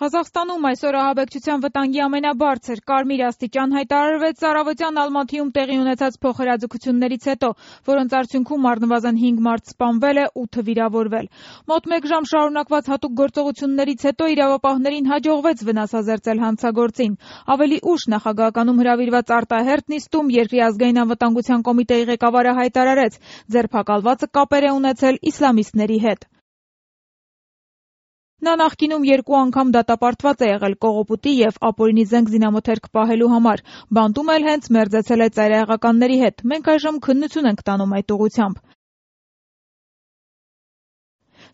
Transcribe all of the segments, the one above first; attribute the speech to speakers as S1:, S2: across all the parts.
S1: Ղազախստանում այսօր ահաբեկչության վտանգի ամենաբարձր կարմիր աստիճան հայտարարվեց առավոտյան Ալմաթիում տեղի ունեցած փոխհրաձգություններից հետո, որոնց արդյունքում առնվազն 5 մարդ սպանվել է, 8 վիրավորվել։ Մոտ 1 ժամ շարունակված հատուկ գործողություններից հետո իրավապահներին հաջողվեց վնասազերծել հանցագործին։ Ավելի ուշ նախագահականում հրավիրված արտահերթ նիստում երկրի ազգային անվտանգության կոմիտեի ղեկավարը հայտարարեց, ձերբակալվածը կապեր է ունեցել իսլամիստների հետ։ Նա նախկինում 2 անգամ դատապարտված է եղել կողոպուտի և ապօրինի զենք զինամթերք պահելու համար, բանտում էլ հենց մերձեցել է ծայրահեղականների հետ, մենք այժմ քննություն ենք տանում այդ ուղղությամբ։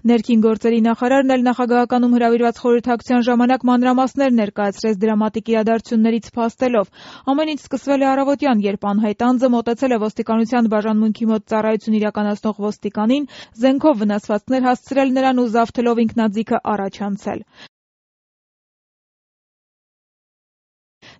S1: Ներքին գործերի նախարարն էլ նախագահականում հրավիրված խորհրդակցության ժամանակ մանրամասներ ներկայացրեց դրամատիկ իրադարձություններից փաստելով։ Ամեն ինչ սկսվել է առավոտյան, երբ անհայտ անձը մոտեցել է ոստիկանության բաժանմունքի մոտ ծառայություն իրականացնող ոստիկանին, զենքով վնասվածքներ հասցրել նրան ու զավթելով ինքնաձիգը առաջ անցել։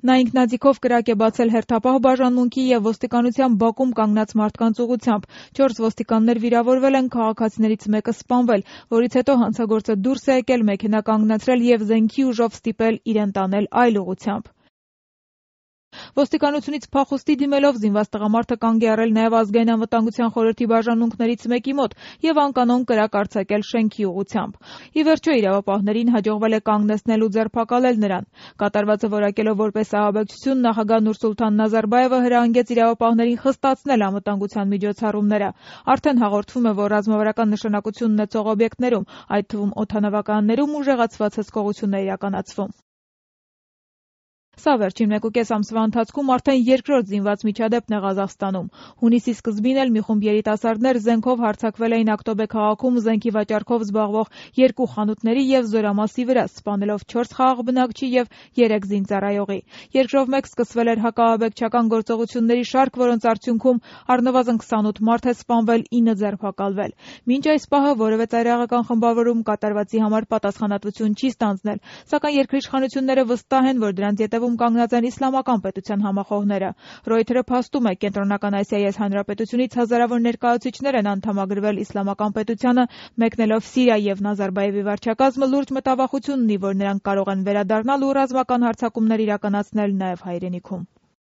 S1: Նա ինքնաձիգով կրակ է բացել հերթապահ բաժանմունքի և ոստիկանության բակում կանգնած մարդկանց ուղղությամբ։ 4 ոստիկաններ վիրավորվել են, քաղաքացիներից մեկը սպանվել, որից հետո հանցագործը դուրս է եկել, մեքենա կանգնացրել և զենքի ուժով ստիպել իրեն տանել այլ ուղղությամբ։ Ոստիկանությունից փախուստի դիմելով զինված տղամարդը կանգ է առել նաև ազգային անվտանգության խորհրդի բաժանմունքներից մեկի մոտ և անկանոն կրակ արձակել շենքի ուղղությամբ։ Ի վերջո իրավապահներին հաջողվել է կանգնեցնել ու ձերբակալել նրան։ Կատարվածը որակելով որպես ահաբեկչություն, նախագահ Նուրսուլթան Նազարբայևը հրահանգեց իրավապահներին խստացնել անվտանգության միջոցառումները։ Արդեն հաղորդվում է, որ ռազմավարական նշանակություն ունեցող օբյեկտներում, այդ թվում օդանավականներում ուժեղացված հսկողություն է իրականացվում։ Սա վերջին 1.5 ամսվա ընթացքում արդեն երկրորդ զինված միջադեպն է Ղազախստանում։ Հունիսի սկզբին էլ մի խումբ երիտասարդներ զենքով հարձակվել էին Ակտոբե քաղաքում զենքի վաճառքով զբաղվող 2 խանութների և Զորամասի վրա, սպանելով 4 խաղաղ բնակչի և 3 զինծառայողի։ Երկրով մեկ սկսվել էր հակաահաբեկչական գործողությունների շարք, որոնց արդյունքում առնվազն 28 մարդ է սպանվել, 9 ձերբակալվել։ Մինչ այս պահը որևէ ծայրահեղական խմբավորում կատարվածի համար պատասխանատվություն չի ստանձնել, սակայն երկրի իշխանությունները վստահ են, որ դրանց ետևում կանգնած են իսլամական պետության համախոհները։ Ռոյթերը փաստում է, Կենտրոնական Ասիայի այս հանրապետությունից հազարավոր ներկայացուցիչներ են անդամագրվել իսլամական պետությանը, մեկնելով Սիրիա և Նազարբայևի վարչակազմը լուրջ մտավախություն ունի, որ նրանք կարող են վերադառնալ ու ռազմական հարձակումներ իրականացնել նաև հայրենիքում։